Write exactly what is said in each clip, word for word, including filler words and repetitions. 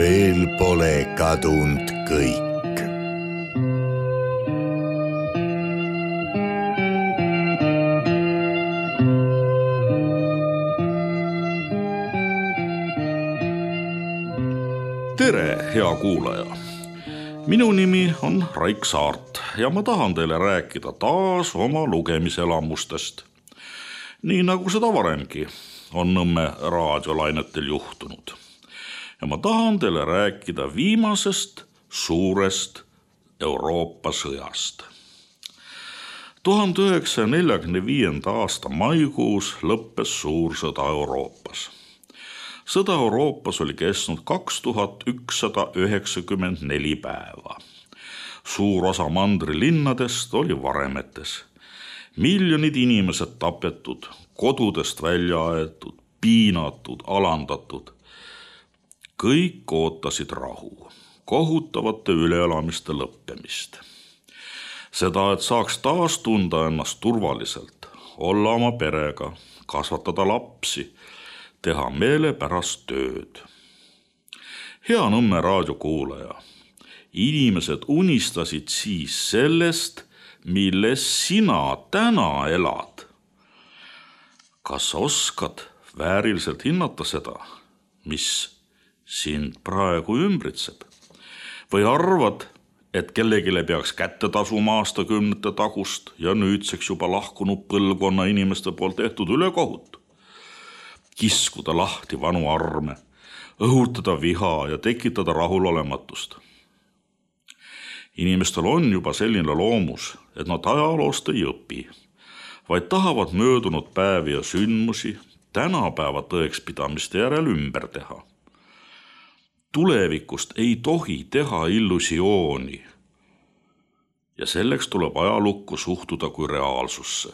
veel pole kadunud kõik. Tere, hea kuulaja! Minu nimi on Raik Saart ja ma tahan teile rääkida taas oma lugemiselamustest. Nii nagu seda varemgi on Nõmme raadiolainetel juhtunud. Ja ma tahan teile rääkida viimasest suurest Euroopa sõjast. tuhande üheksasaja neljakümne viienda aasta maikuus lõppes suur sõda Euroopas. Sõda Euroopas oli kestnud kaks tuhat ükssada üheksakümmend neli päeva. Suur osa mandri linnadest oli varemetes. Miljonid inimesed tapetud, kodudest välja aetud, piinatud, alandatud. Kõik ootasid rahu, kohutavate üleelamiste lõppemist. Seda, et saaks taas tunda ennast turvaliselt, olla oma perega, kasvatada lapsi, teha meelepärast tööd. Hea Nõmme raadiokuulaja, inimesed unistasid siis sellest, milles sina täna elad. Kas oskad vääriliselt hinnata seda, mis sind praegu ümbritseb? Või arvad, et kellegile peaks kätte tasuma aastakümnete tagust ja nüüdseks juba lahkunud põlvkonna inimeste poolt tehtud ülekohut? Kiskuda lahti vanu arme, õhutada viha ja tekitada rahulolematust. Inimestel on juba selline loomus, et nad ajaloost ei õpi, vaid tahavad möödunud päevi ja sündmusi tänapäeva tõekspidamiste järel ümber teha. Tulevikust ei tohi teha illusiooni ja selleks tuleb ajalukku suhtuda kui reaalsusse.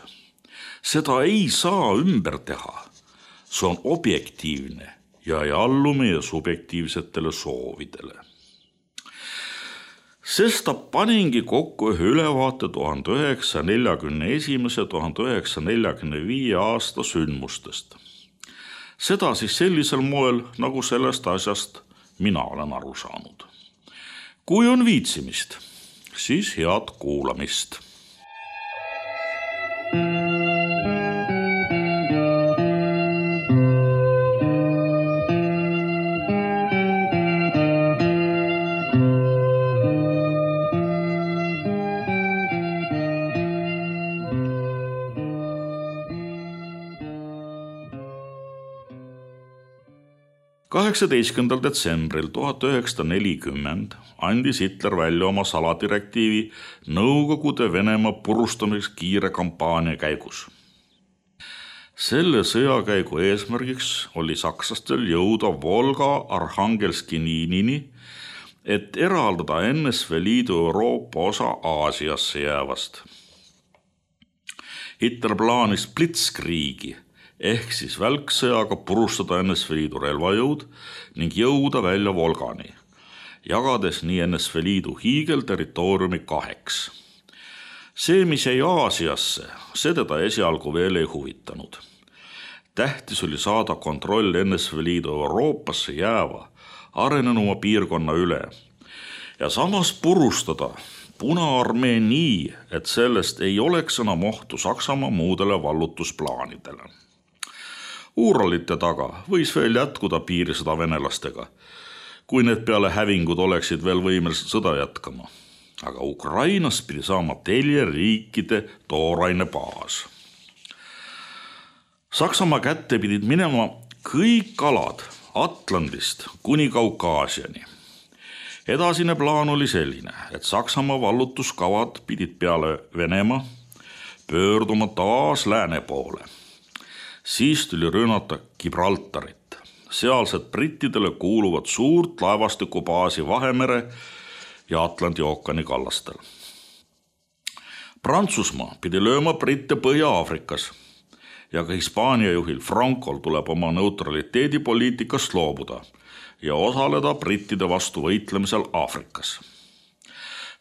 Seda ei saa ümber teha. See on objektiivne ja ei allu meie subjektiivsetele soovidele. Sesta paningi kokku ühe ülevaate tuhande üheksasaja neljakümne esimese ja tuhande üheksasaja neljakümne viie aasta sündmustest. Seda siis sellisel moel, nagu sellest asjast mina olen aru saanud. Kui on viitsimist, siis head kuulamist. kaheksateistkümnendal detsembril tuhat üheksasada nelikümmend andis Hitler välja oma saladirektiivi Nõukogude Venemaa purustamiseks kiire kampaania käigus. Selle sõjakäigu eesmärgiks oli sakslastel jõuda Volga Arhangelski liinini, et eraldada N S V Liidu Euroopa osa Aasiasse jäävast. Hitler plaanis Blitzkriegi ehk siis välksõjaga purustada N S V Liidu relvajõud ning jõuda välja Volgani, jagades nii N S V Liidu hiigelterritooriumi kaheks. See, mis jäi Aasiasse, see teda esialgu veel ei huvitanud. Tähtis oli saada kontroll N S V Liidu Euroopasse jääva arenenuma piirkonna üle ja samas purustada Punaarmee nii, et sellest ei oleks enam ohtu Saksamaa muudele vallutusplaanidele. Uuralite taga võis veel jätkuda piirisõda venelastega, kui need peale hävingud oleksid veel võimelised sõda jätkama. Aga Ukrainas pidi saama telje riikide tooraine baas. Saksamaa kätte pidid minema kõik alad Atlandist kuni Kaukaasiani. Edasine plaan oli selline, et Saksamaa vallutuskavad pidid peale Venemaa pöörduma taas lääne poole. Siis tuli rünnata Gibraltarit, sealsed brittidele kuuluvad suurt laevastikubaasi Vahemere ja Atlandi ookeani kallastel. Prantsusmaa pidi lööma britte Põhja-Aafrikas ja ka Hispaania juhil Francol tuleb oma neutraliteedipoliitikast loobuda ja osaleda brittide vastu võitlemisel Aafrikas.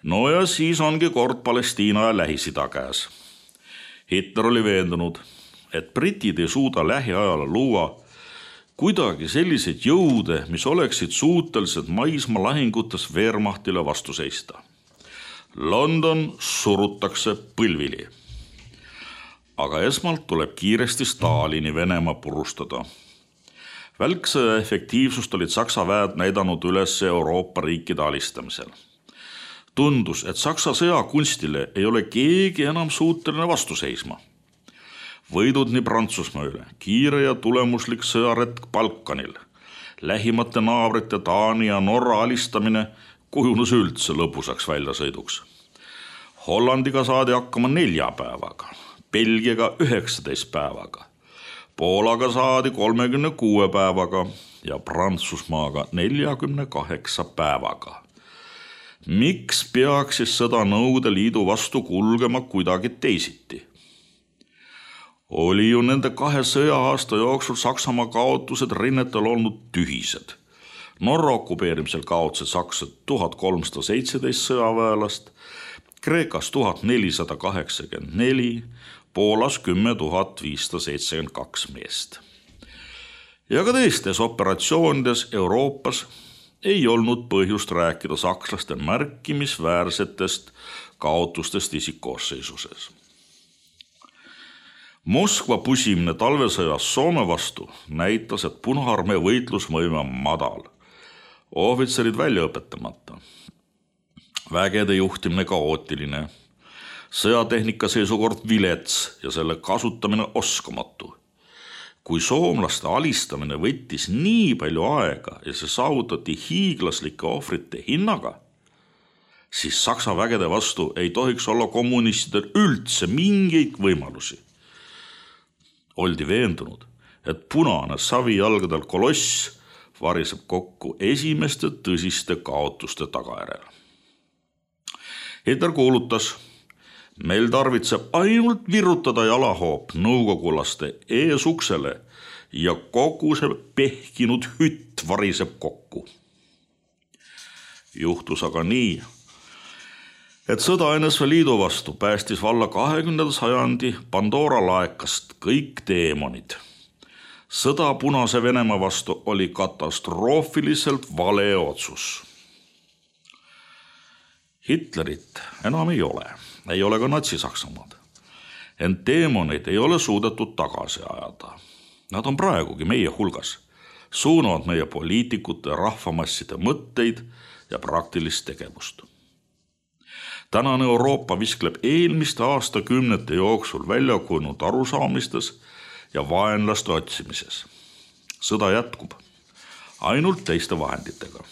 No ja siis ongi kord Palestiina ja Lähis-Ida käes. Hitler oli veendunud, et britid ei suuda lähiajal luua kuidagi selliseid jõude, mis oleksid suutelised maismaa lahingutes Wehrmachtile vastu seista. London surutakse põlvili. Aga esmalt tuleb kiiresti Stalini Venemaa purustada. Välksõja efektiivsust olid Saksa väed näidanud üles Euroopa riikide alistamisel. Tundus, et Saksa sõjakunstile ei ole keegi enam suuteline vastu seisma. Võidud nii Prantsusmaa üle, kiire ja tulemuslik sõjaretk Balkanil, lähimate naabrite Taani ja Norra alistamine kujunes üldse lõbusaks väljasõiduks. Hollandiga saadi hakkama nelja päevaga, Belgiaga üheksateist päevaga, Poolaga saadi kolmekümne kuue päevaga ja Prantsusmaaga neljakümne kaheksa päevaga. Miks peaks siis sõda Nõukogude Liidu vastu kulgema kuidagi teisiti? Oli ju nende kahe sõja-aasta jooksul Saksamaa kaotused rinnetel olnud tühised. Norra okupeerimisel kaotasid sakslased tuhat kolmsada seitseteist sõjaväelast, Kreekas tuhat nelisada kaheksakümmend neli, Poolas kümme tuhat viissada seitsekümmend kaks meest. Ja ka teistes operatsioonides Euroopas ei olnud põhjust rääkida sakslaste märkimisväärsetest kaotustest isikkoosseisuses. Moskva pusimine talvesõjas Soome vastu näitas, et Punaarmee võitlusvõime on madal. Ohvitserid välja õpetamata. Vägede juhtimine kaootiline. Sõjatehnika seisukord vilets ja selle kasutamine oskamatu. Kui soomlaste alistamine võttis nii palju aega ja see saavutati hiiglaslike ohvrite hinnaga, siis Saksa vägede vastu ei tohiks olla kommunistidel üldse mingeid võimalusi. Oldi veendunud, et punane savijalgadel koloss variseb kokku esimeste tõsiste kaotuste tagajärjel. Hitler kuulutas, meil tarvitseb ainult virutada jalahoop nõukogulaste eesuksele ja kogu see pehkinud hütt variseb kokku. Juhtus aga nii, et sõda N S V Liidu vastu päästis valla kahekümnenda sajandi Pandora laekast kõik teemonid. Sõda Punase Venemaa vastu oli katastroofiliselt vale otsus. Hitlerit enam ei ole, ei ole ka Natsi-Saksamaad. Ent teemonid ei ole suudetud tagasi ajada. Nad on praegugi meie hulgas, suunavad meie poliitikute ja rahvamasside mõtteid ja praktilist tegevust. Tänane Euroopa viskleb eelmiste aastakümnete jooksul välja kujunud arusaamistes ja vaenlaste otsimises. Sõda jätkub, ainult teiste vahenditega.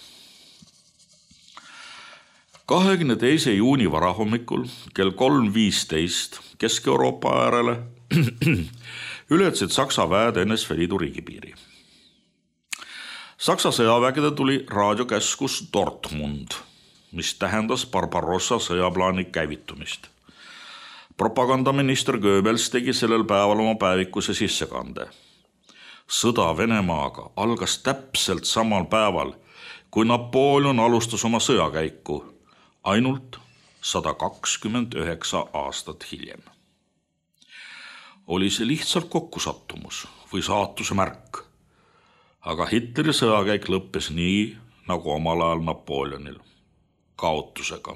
kahekümne teise juuni varahommikul kell kolm viisteist Kesk-Euroopa äärele ületasid Saksa väed N S V Liidu riigipiiri. Saksa sõjavägede tuli raadiokäskus Dortmund, mis tähendas Barbarossa sõjaplaani käivitumist. Propagandaminister Goebbels tegi sellel päeval oma päevikuse sissekande. Sõda Venemaaga algas täpselt samal päeval, kui Napoleon alustas oma sõjakäiku, ainult sada kakskümmend üheksa aastat hiljem. Oli see lihtsalt kokkusattumus või saatuse märk, aga Hitleri sõjakäik lõppes nii, nagu omal ajal Napoleonil, kaotusega.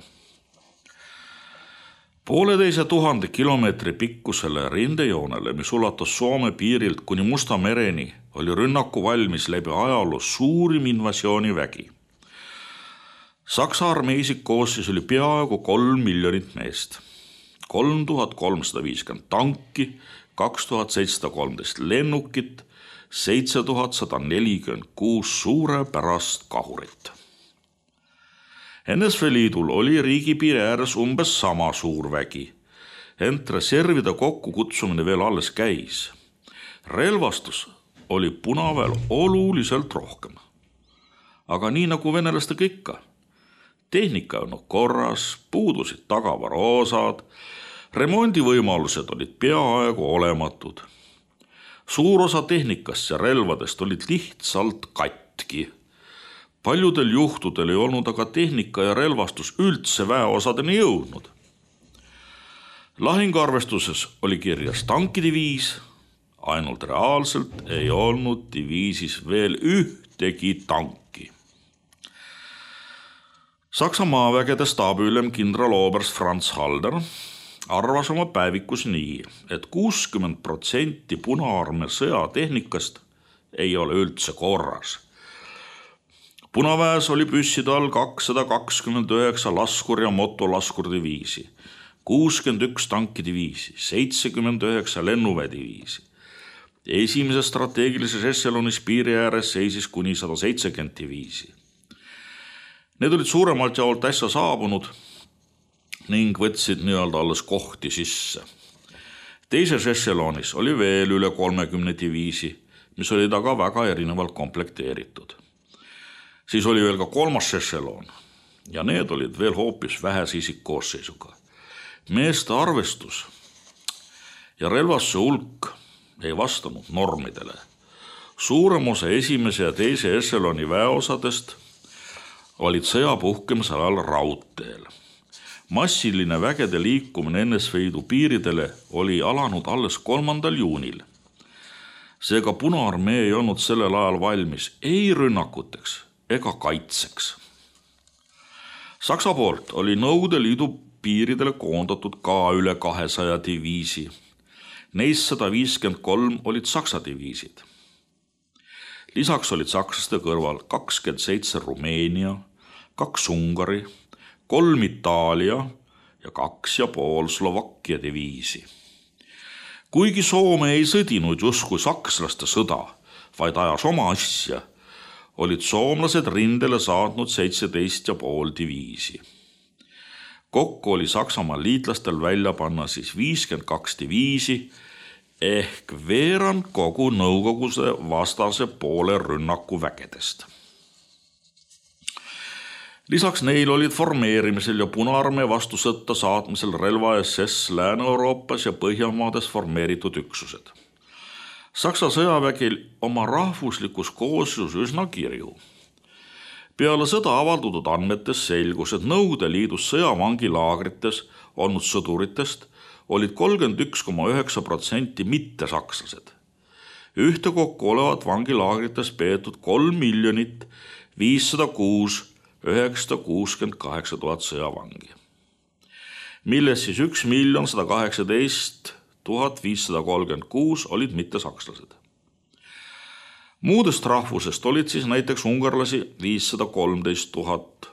Pooleteise tuhande kilomeetri pikkusele rindejoonele, mis ulatas Soome piirilt kuni Musta mereni, oli rünnaku valmis läbi ajaloo suurim invasioonivägi. Saksa armee isikkoosseis oli peaaegu kolm miljonit meest. kolm tuhat kolmsada viiskümmend tanki, kaks tuhat seitsesada kolmteist lennukit, seitse tuhat sada nelikümmend kuus suurepärast kahurit. N S V Liidul oli riigipiiri ääres umbes sama suur vägi, ent reservide kokkukutsumine veel alles käis. Relvastus oli Punaväel oluliselt rohkem. Aga nii nagu venelastega ikka, tehnika on korras, puudusid tagavaraosad, remondivõimalused olid peaaegu olematud. Suur osa tehnikast ja relvadest olid lihtsalt katki. Paljudel juhtudel ei olnud aga tehnika ja relvastus üldse väeosadeni jõudnud. Lahinguarvestuses oli kirjas tankidiviis, ainult reaalselt ei olnud diviisis veel ühtegi tanki. Saksa maavägede staabiülem kindraloberst Franz Halder arvas oma päevikus nii, et kuuskümmend protsenti Punaarmee sõjatehnikast ei ole üldse korras. Punaväes oli püsside all kakssada kakskümmend üheksa laskur- ja motolaskurdiviisi, kuuskümmend üks tankidiviisi, seitsekümmend üheksa lennuväediviisi. Esimeses strateegilises ešelonis piiri ääres seisis kuni sada seitsekümmend diviisi. Need olid suuremalt jaolt äsja saabunud ning võtsid nii-öelda alles kohti sisse. Teises ešelonis oli veel üle kolmekümne diviisi, mis olid aga väga erinevalt komplekteeritud. Siis oli veel ka kolmas ešelon ja need olid veel hoopis vähese isikkoosseisuga. Meeste arvestus ja relvastuse hulk ei vastanud normidele. Suurem osa esimese ja teise ešeloni väeosadest olid sõja puhkemise ajal raudteel. Massiline vägede liikumine N S V Liidu piiridele oli alanud alles kolmandal juunil. Seega Punaarmee ei olnud sellel ajal valmis ei rünnakuteks ega kaitseks. Saksa poolt oli Nõukogude Liidu piiridele koondatud ka üle kahesaja diviisi. Neist sada viiskümmend kolm olid Saksa diviisid. Lisaks olid sakslaste kõrval kakskümmend seitse Rumeenia, kaks Ungari, kolm Itaalia ja kaks ja pool Slovakkia diviisi. Kuigi Soome ei sõdinud justkui sakslaste sõda, vaid ajas oma asja, olid soomlased rindele saatnud seitseteist ja pool diviisi. Kokku oli Saksamaal liitlastel välja panna siis viiskümmend kaks diviisi ehk veerand kogu Nõukoguse vastase poole rünnakuvägedest. Lisaks neil olid formeerimisel ja Punaarmee vastu sõtta saatmisel relva S S Lääne-Euroopas ja Põhjamaades formeeritud üksused. Saksa sõjavägil oma rahvuslikus kooslus üsna kirju. Peale sõda avaldatud andmetes selgus, et Nõukogude Liidus sõjavangilaagrites olnud sõduritest olid kolmkümmend üks koma üheksa protsenti mittesakslased. Ühtekokku olevat vangilaagrites peetud kolm miljonit viissada kuus üheksasada kuuskümmend kaheksa tuhat sõjavangi, milles siis üks miljon sada kaheksateist tuhat viissada kolmkümmend kuus olid mittesakslased. Muudest rahvusest olid siis näiteks ungarlasi viissada kolmteist tuhat,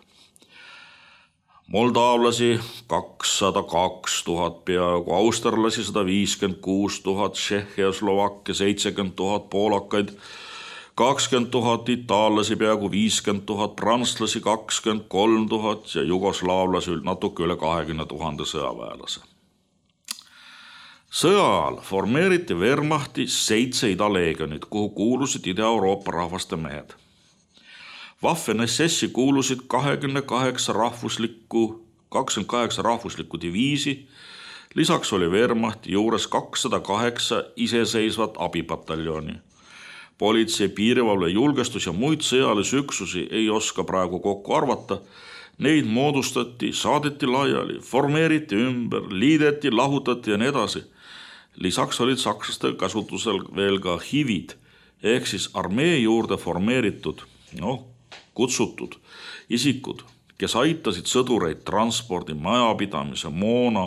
moldaavlasi kakssada kaks tuhat peaaegu, austerlasi sada viiskümmend kuus tuhat, Tšehhi ja Slovakkia seitsekümmend tuhat, poolakaid kakskümmend tuhat, itaallasi peaaegu viiskümmend tuhat, prantslasi kakskümmend kolm tuhat ja jugoslaavlasi natuke üle kahekümne tuhande sõjaväelase. Sõja ajal formeeriti Wehrmachti seitse idaleegionit, kuhu kuulusid Ida-Euroopa rahvaste mehed. Waffen S S-i kuulusid kakskümmend kaheksa rahvuslikku, kakskümmend kaheksa rahvuslikku diviisi, lisaks oli Wehrmachti juures kakssada kaheksa iseseisvat abipataljoni. Politsei, piirivalve, julgestus ja muid sõjalisi üksusi ei oska praegu kokku arvata. Neid moodustati, saadeti laiali, formeeriti ümber, liideti, lahutati ja nii edasi. Lisaks olid sakslaste kasutusel veel ka hivid, ehk siis armee juurde formeeritud, noh, kutsutud isikud, kes aitasid sõdureid transpordi, majapidamise, moona,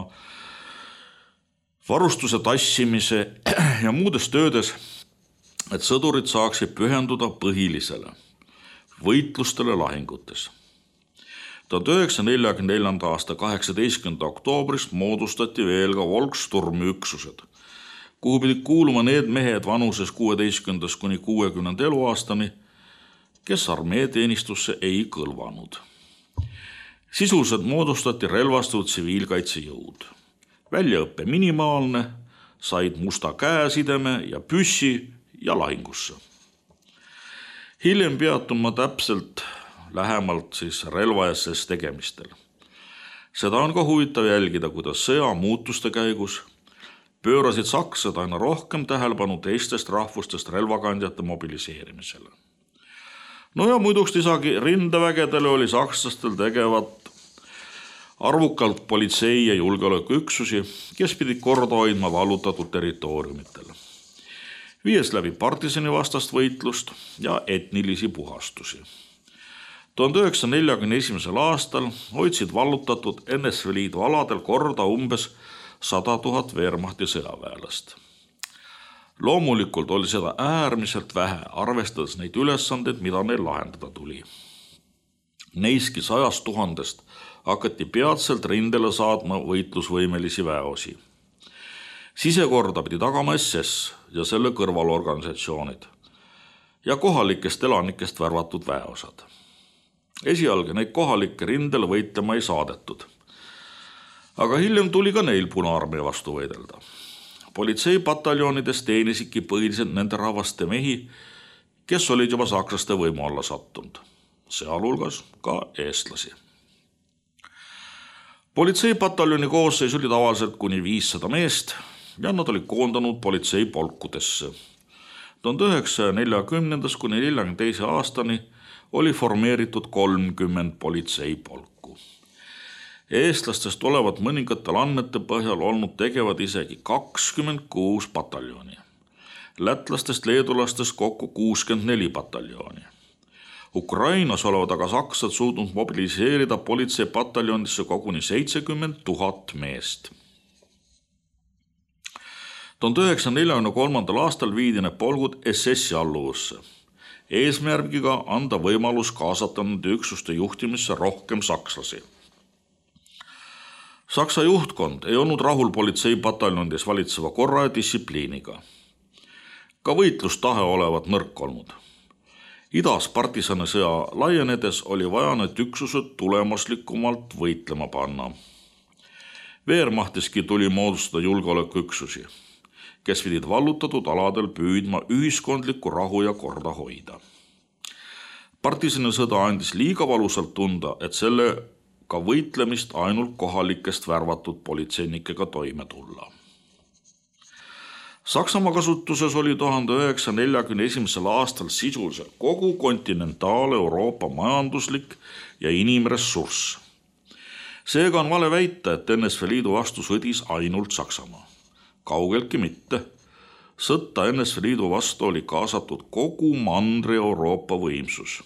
varustuse tassimise ja muudes töödes, et sõdurid saaksid pühenduda põhilisele, võitlustele lahingutes. tuhat üheksasaja neljakümne neljanda aasta kaheksateistkümnenda oktoobrist moodustati veel ka Volkssturmi üksused, kuhu pidid kuuluma need mehed vanuses kuueteistkümnendast kuni kuuekümnenda eluaastani, kes armeeteenistusse ei kõlvanud. Sisuliselt moodustati relvastatud tsiviilkaitsejõud. Väljaõppe minimaalne, said musta käesideme ja püssi ja lahingusse. Hiljem peatun ma täpselt lähemalt siis relva S S tegemistel. Seda on ka huvitav jälgida, kuidas sõja muutuste käigus pöörasid sakslased aina rohkem tähelepanu teistest rahvustest relvakandjate mobiliseerimisele. No ja muiduks lisagi rindevägedele oli sakslastel tegevat arvukalt politsei- ja julgeolekuüksusi, kes pidid korda hoidma vallutatud territooriumitel. viies läbi partisani vastast võitlust ja etnilisi puhastusi. tuhande üheksasaja neljakümne esimesel aastal hoidsid vallutatud N S V Liidu aladel korda umbes sada tuhat Wehrmachti sõjaväelast. Loomulikult oli seda äärmiselt vähe, arvestades neid ülesandeid, mida neil lahendada tuli. Neiski sajast tuhandest hakati peatselt rindele saatma võitlusvõimelisi väeosi. Sisekorda pidi tagama S S ja selle kõrvalorganisatsioonid ja kohalikest elanikest värvatud väeosad. Esialgu neid kohalikke rindele võitlema ei saadetud. Aga hiljem tuli ka neil Punaarmee vastu võidelda. Politseipataljoonides teenisidki põhiliselt nende rahvaste mehi, kes olid juba sakslaste võimu alla sattunud, sealhulgas ka eestlasi. Politseipataljoni koosseis oli tavaliselt kuni viissada meest ja nad olid koondanud politseipolkudesse. tuhande üheksasaja neljakümnendast kuni neljakümne teise aastani oli formeeritud kolmkümmend politseipolku. Eestlastest olevat mõningatel andmete põhjal olnud tegevad isegi kakskümmend kuus pataljoni. Lätlastest, leedulastest kokku kuuskümmend neli pataljooni. Ukrainas olevat aga saksad suutnud mobiliseerida politseipataljonisse koguni seitsekümmend tuhat meest. tuhande üheksasaja neljakümne kolmandal aastal viidi need polgud S S-i alluvusse, eesmärgiga anda võimalus kaasata nende üksuste juhtimisse rohkem sakslasi. Saksa juhtkond ei olnud rahul politseipataljonides valitseva korra ja distsipliiniga. Ka võitlustahe olevat nõrk olnud. Idas partisani sõja laienedes oli vaja need üksused tulemuslikumalt võitlema panna. Wehrmachtiski tuli moodustada julgeolekuüksusi, kes pidid vallutatud aladel püüdma ühiskondlikku rahu ja korda hoida. Partisani sõda andis liiga valusalt tunda, et sellega võitlemist ainult kohalikest värvatud politseinikega toime tulla. Saksamaa kasutuses oli tuhande üheksasaja neljakümne esimesel aastal sisuliselt kogu kontinentaal-Euroopa majanduslik ja inimressurss. Seega on vale väita, et N S V Liidu vastu sõdis ainult Saksamaa. Kaugeltki mitte. Sõtta N S V Liidu vastu oli kaasatud kogu Mandri-Euroopa võimsus.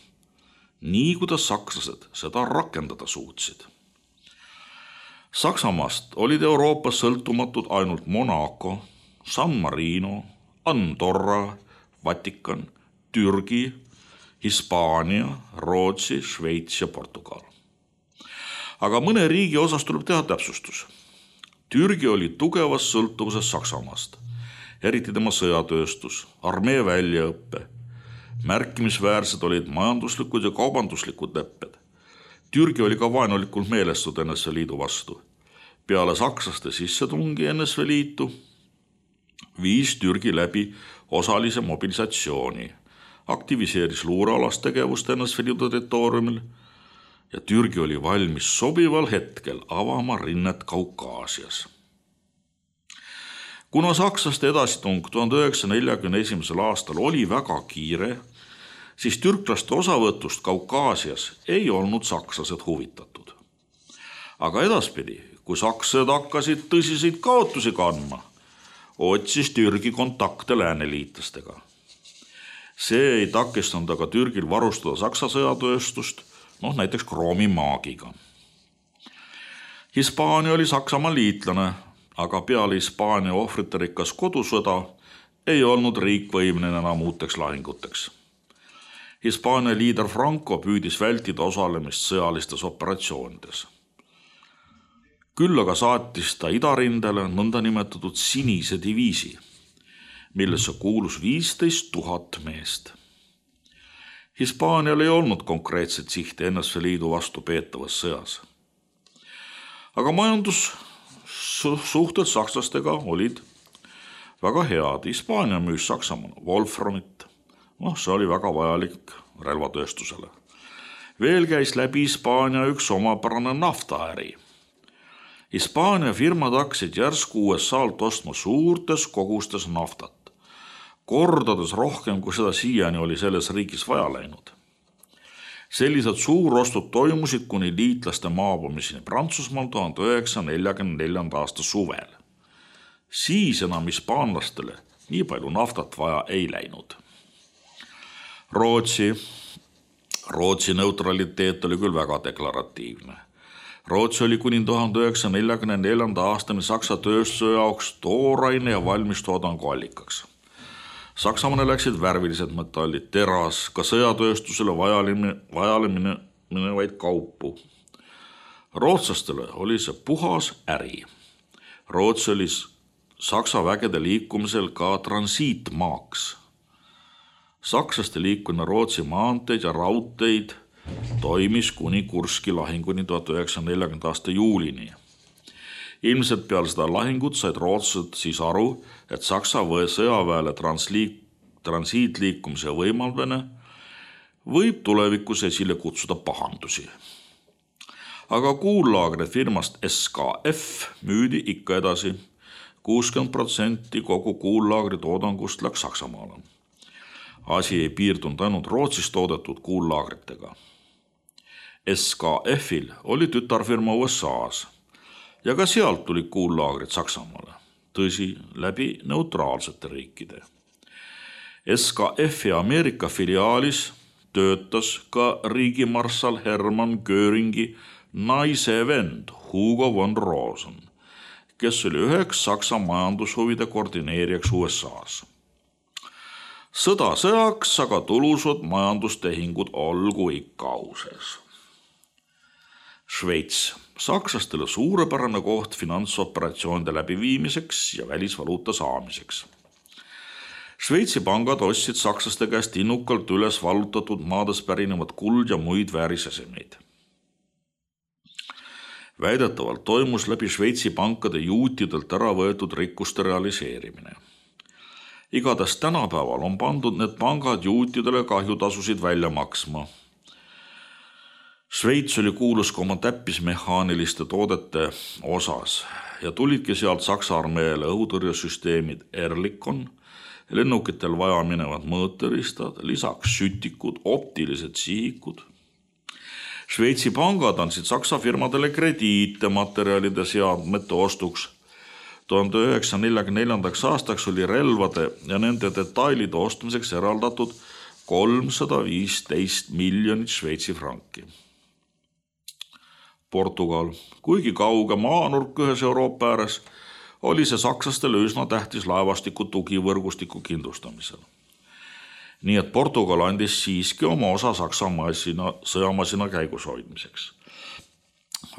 Nii kuidas sakslased seda rakendada suutsid. Saksamaast olid Euroopas sõltumatud ainult Monaco, San Marino, Andorra, Vatikan, Türgi, Hispaania, Rootsi, Šveits ja Portugal. Aga mõne riigi osas tuleb teha täpsustus. Türgi oli tugevas sõltuvuses Saksamaast, eriti tema sõjatööstus, armee väljaõppe. Märkimisväärsed olid majanduslikud ja kaubanduslikud lepped. Türgi oli ka vaenulikult meelestud N S V Liidu vastu. Peale sakslaste sissetungi N S V Liitu viis Türgi läbi osalise mobilisatsiooni, aktiviseeris luurealast tegevust N S V Liidu territooriumil ja Türgi oli valmis sobival hetkel avama rinnet Kaukaasias. Kuna sakslaste edasitung tuhande üheksasaja neljakümne esimesel aastal oli väga kiire, siis türklaste osavõtust Kaukaasias ei olnud sakslased huvitatud. Aga edaspidi, kui sakslased hakkasid tõsiseid kaotusi kandma, otsis Türgi kontakte lääneliitlastega. See ei takistanud aga Türgil varustada Saksa sõjatööstust, noh näiteks kroomimaagiga. Hispaania oli Saksamaa liitlane, aga peale Hispaania ohvriterikas kodusõda ei olnud riik võimeline enam uuteks lahinguteks. Hispaania liider Franco püüdis vältida osalemist sõjalistes operatsioonides. Küll aga saatis ta idarindele nõndanimetatud sinise diviisi, millesse kuulus viisteist tuhat meest. Hispaanial ei olnud konkreetset sihti N S V Liidu vastu peetavas sõjas. Aga majandussuhted sakslastega olid väga head. Hispaania müüs Saksamaale Wolframit. noh, see oli väga vajalik relvatööstusele. Veel käis läbi Hispaania üks omapärane naftaäri. Hispaania firmad hakkasid järsku U S A-lt ostma suurtes kogustes naftat, kordades rohkem, kui seda siiani oli selles riigis vaja läinud. Sellised suurostud toimusid kuni liitlaste maabumiseni Prantsusmaal tuhande üheksasaja neljakümne neljanda aasta suvel. Siis enam hispaanlastele Nii palju naftat vaja ei läinud. Rootsi, Rootsi neutraliteet oli küll väga deklaratiivne. Rootsi oli kuni tuhande üheksasaja neljakümne neljanda aastani Saksa tööstuse jaoks tooraine ja valmistoodangu allikaks. Saksamaale läksid värvilised metallid, teras, ka sõjatööstusele vajalemine minevaid kaupu. Rootslastele oli see puhas äri. Rootsi oli Saksa vägede liikumisel ka transiitmaaks. Sakslaste liikumine Rootsi maanteid ja raudteid toimis kuni Kurski lahinguni tuhat üheksasaja neljakümnenda aasta juulini. Ilmselt peale seda lahingut said rootslased siis aru, et Saksa või sõjaväele transliik, transiitliikumise võimaldamine võib tulevikus esile kutsuda pahandusi. Aga kuullaagrid firmast S K F müüdi ikka edasi. kuuskümmend protsenti kogu kuullaagri toodangust läks Saksamaale. Asi ei piirdunud ainult Rootsis toodetud kuullaagritega. S K F-il oli tütarfirma U S A-s ja ka sealt tulid kuullaagrid Saksamaale, tõsi, läbi neutraalsete riikide. S K F-i Ameerika filiaalis töötas ka riigimarssal Hermann Göringi naise vend Hugo von Rosen, kes oli üheks Saksa majandushuvide koordineerijaks U S A-s. Sõda sõjaks, aga tulusad majandustehingud olgu ikka auses. Šveits, sakslastele suurepärane koht finantsoperatsioonide läbiviimiseks ja välisvaluuta saamiseks. Šveitsi pangad ostsid sakslaste käest innukalt üles vallutatud maades pärinevad kuld ja muid väärisesemeid. Väidetavalt toimus läbi Šveitsi pankade juutidelt ära võetud rikkuste realiseerimine. Igatahes tänapäeval on pandud need pangad juutidele kahjutasusid välja maksma. Šveits oli kuulus ka oma täppismehaaniliste toodete osas ja tulidki sealt Saksa armeele õhutõrjesüsteemid Erlikon, lennukitel vaja minevad mõõteristad, lisaks sütikud, optilised sihikud. Šveitsi pangad andsid Saksa firmadele krediite materjalide seadmete ostuks. tuhande üheksasaja neljakümne neljandaks aastaks oli relvade ja nende detailide ostmiseks eraldatud kolmsada viisteist miljonit Šveitsi franki. Portugal, kuigi kauge maanurk ühes Euroopa ääres, oli see sakslastele üsna tähtis laevastiku tugivõrgustiku kindlustamisel. Nii et Portugal andis siiski oma osa Saksa masina, sõjamasina käigus hoidmiseks.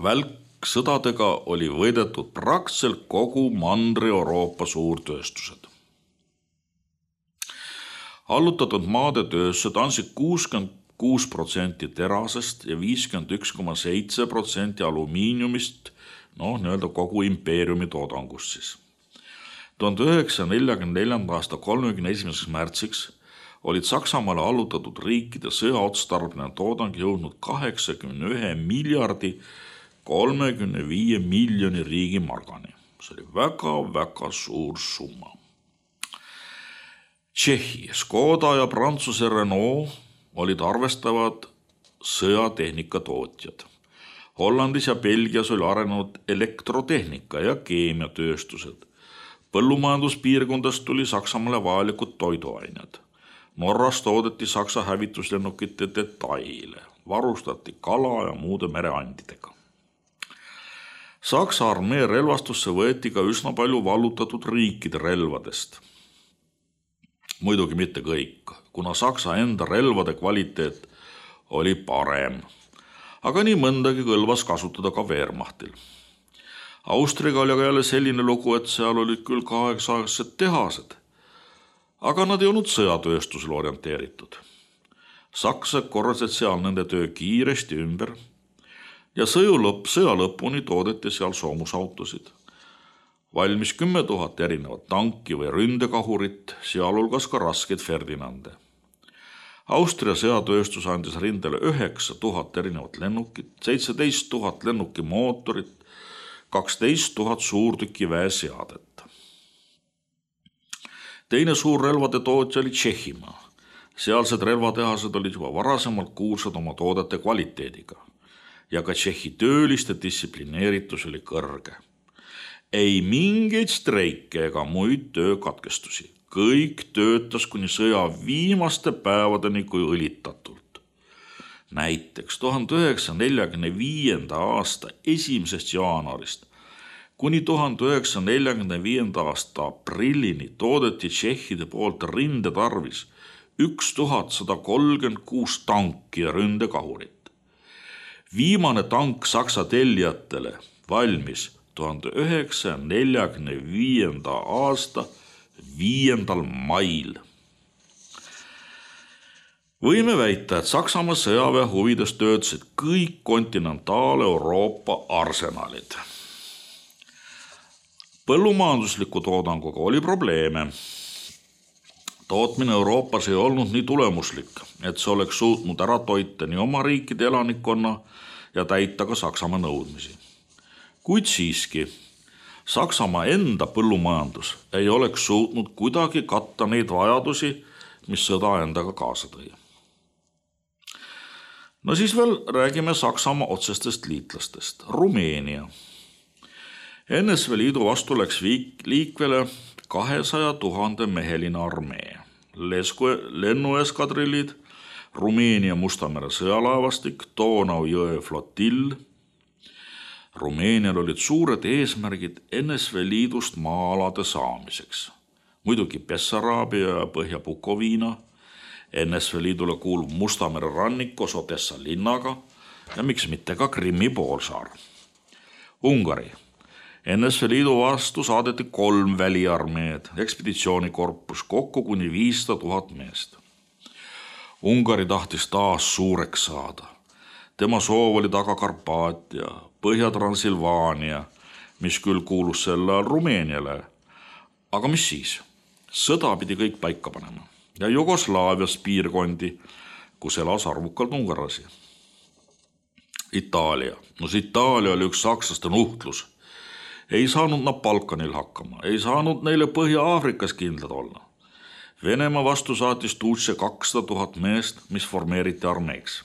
Välksõdadega oli võidetud praktiliselt kogu Mandri-Euroopa suurtööstused. Allutatud maade tööstused andsid kuuskümmend kuus protsenti terasest ja viiskümmend üks koma seitse protsenti alumiiniumist, noh, nii-öelda kogu impeeriumi toodangust siis. tuhande üheksasaja neljakümne neljanda aasta kolmekümne esimeseks märtsiks olid Saksamaale allutatud riikide sõjaotstarbeline toodang jõudnud kaheksakümne ühe miljardi kolmekümne viie miljoni riigimargani. See oli väga-väga suur summa. Tšehhi, Škoda ja Prantsuse Renault olid arvestavad sõjatehnika tootjad. Hollandis ja Belgias oli arenenud elektrotehnika ja keemiatööstused. Põllumajanduspiirkondast tuli Saksamaale vajalikud toiduained. Norras toodeti Saksa hävituslennukite detaile, varustati kala ja muude mereandidega. Saksa armee relvastusse võeti ka üsna palju vallutatud riikide relvadest. Muidugi mitte kõik, kuna Saksa enda relvade kvaliteet oli parem. Aga nii mõndagi kõlvas kasutada ka Wehrmachtil. Austriaga oli aga jälle selline lugu, et seal olid küll kaheksa-aastased tehased, aga nad ei olnud sõjatööstusele orienteeritud. Sakslased korrasid seal nende töö kiiresti ümber ja sõja lõpp, sõja lõpuni toodeti seal soomusautosid. Valmis kümme tuhat erinevat tanki või ründekahurit, sealhulgas ka raskeid Ferdinande. Austria sõjatööstus andis rindele üheksa tuhat erinevat lennukit, seitseteist tuhat lennuki mootorit, kaksteist tuhat suurtüki väeseadet. Teine suur relvade tootja oli Tšehhimaa. Sealsed relvatehased olid juba varasemalt kuulsad oma toodete kvaliteediga ja ka Tšehhi tööliste distsiplineeritus oli kõrge. Ei mingeid streike ega muid töökatkestusi. kõik töötas kuni sõja viimaste päevadeni kui õlitatult. Näiteks tuhande üheksasaja neljakümne viienda aasta esimesest jaanuarist kuni tuhande üheksasaja neljakümne viienda aasta aprillini toodeti tšehhide poolt rindetarvis üks tuhat sada kolmkümmend kuus tanki ja ründekahurit. Viimane tank Saksa tellijatele valmis tuhande üheksasaja neljakümne viienda aasta viiendal mail. Võime väita, et Saksamaa sõjaväe huvides töötasid kõik kontinentaal-Euroopa arsenalid. Põllumajandusliku toodanguga oli probleeme. Tootmine Euroopas ei olnud nii tulemuslik, et see oleks suutnud ära toita nii oma riikide elanikkonna ja täita ka Saksamaa nõudmisi. Kuid siiski, Saksamaa enda põllumajandus ei oleks suutnud kuidagi katta neid vajadusi, mis sõda endaga kaasa tõi. No siis veel räägime Saksamaa otsestest liitlastest. Rumeenia. N S V Liidu vastu läks liikvele kahesaja tuhande meheline armee. Lennueskadrillid, Rumeenia Mustamere sõjalaevastik, Donau jõe flotill. Rumeenial olid suured eesmärgid N S V Liidust maa-alade saamiseks. Muidugi Bessaraabia ja Põhja-Bukoviina, N S V Liidule kuulub Mustamere rannikos Odessa linnaga ja miks mitte ka Krimmi poolsaar. Ungari. N S V Liidu vastu saadeti kolm väliarmeed, ekspeditsioonikorpus, kokku kuni viissada tuhat meest. Ungari tahtis taas suureks saada. Tema soov oli taga Karpaatia, Põhja-Transilvaania, mis küll kuulus sel ajal Rumeeniale. Aga mis siis? Sõda pidi kõik paika panema ja Jugoslaavias piirkondi, kus elas arvukalt ungarlasi. Itaalia. No see Itaalia oli üks sakslaste nuhtlus. Ei saanud nad Balkanil hakkama, ei saanud neile Põhja-Aafrikas kindlad olla. Venemaa vastu saatis Tuutse kakssada tuhat meest, mis formeeriti armeeks.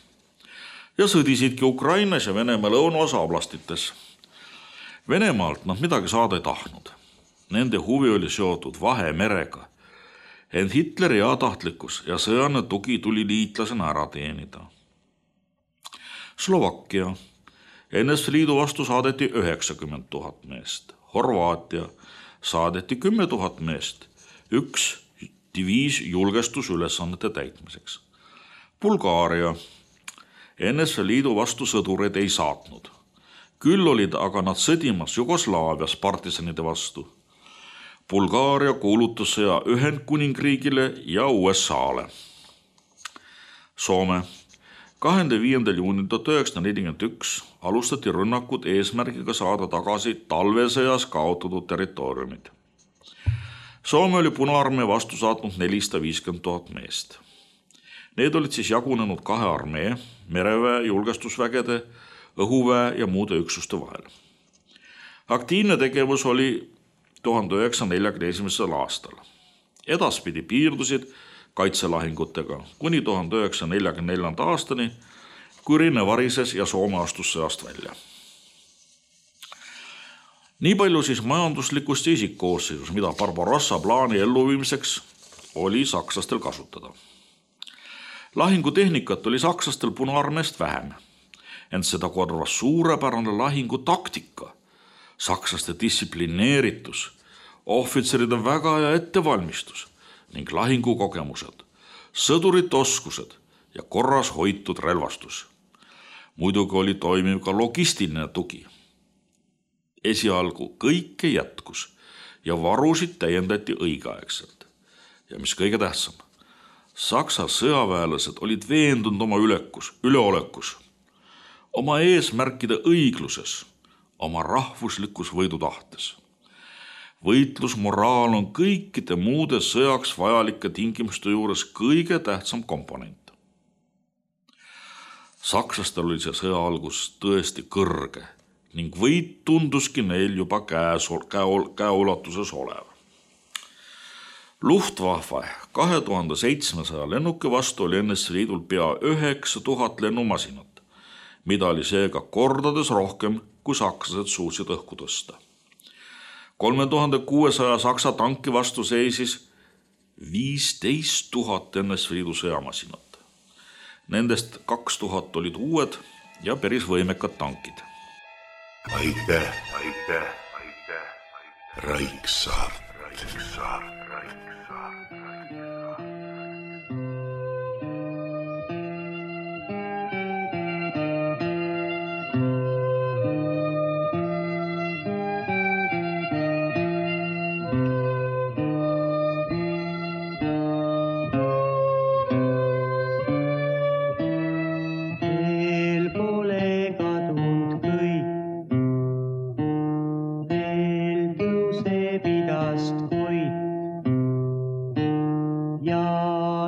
Ja sõdisidki Ukrainas ja Venemaa lõunaosa oblastites. Venemaalt nad midagi saada ei tahtnud. Nende huvi oli seotud Vahemerega. Ent Hitleri heatahtlikkus ja sõjane tugi tuli liitlasena ära teenida. Slovakkia. N S V Liidu vastu saadeti üheksakümmend tuhat meest. Horvaatia saadeti kümme tuhat meest. Üks diviis julgestusülesannete täitmiseks. Bulgaaria. N S V Liidu vastu sõdureid ei saatnud. Küll olid aga nad sõdimas Jugoslaavias partisanide vastu. Bulgaaria kuulutas sõja Ühendkuningriigile ja U S A-le. Soome. kahekümne viiendal juunil tuhat üheksasada nelikümmend üks alustati rünnakud eesmärgiga saada tagasi talvesõjas kaotatud territooriumid. Soome oli Punaarmee vastu saatnud nelisada viiskümmend tuhat meest. Need olid siis jagunenud kahe armee, mereväe, julgestusvägede, õhuväe ja muude üksuste vahel. Aktiivne tegevus oli tuhande üheksasaja neljakümne esimesel aastal. Edaspidi piirdusid kaitselahingutega kuni tuhande üheksasaja neljakümne neljanda aastani, kui rinne varises ja Soome astus sõjast välja. Nii palju siis majanduslikust ja isikkoosseisus, mida Barbarossa plaani elluviimiseks oli sakslastel kasutada. Lahingutehnikat oli sakslastel Punaarmeest vähem, ent seda korvas suurepärane lahingutaktika, sakslaste distsiplineeritus, ohvitseride väga hea ettevalmistus ning lahingukogemused, sõdurite oskused ja korras hoitud relvastus. Muidugi oli toimiv ka logistiline tugi. Esialgu kõike jätkus ja varusid täiendati õigeaegselt. Ja mis kõige tähtsam, Saksa sõjaväelased olid veendunud oma ülekus, üleolekus, oma eesmärkide õigluses, oma rahvuslikus võidutahtes. Võitlusmoraal on kõikide muude sõjaks vajalike tingimuste juures kõige tähtsam komponent. Sakslastel oli see sõja algus tõesti kõrge ning võit tunduski neil juba käes, käol, käeulatuses olev. Luftwaffe kahe tuhande seitsmesaja lennuki vastu oli N S V Liidul pea üheksa tuhat lennumasinat, mida oli seega kordades rohkem, kui sakslased suutsid õhku tõsta. kolme tuhande kuuesaja saksa tanki vastu seisis viisteist tuhat N S V Liidu sõjamasinat. Nendest kaks tuhat olid uued ja päris võimekad tankid. Aitäh, aitäh, aitäh, aitäh. Raiksaart, Raiksaart, Raiksaart, Raiksaart. Ja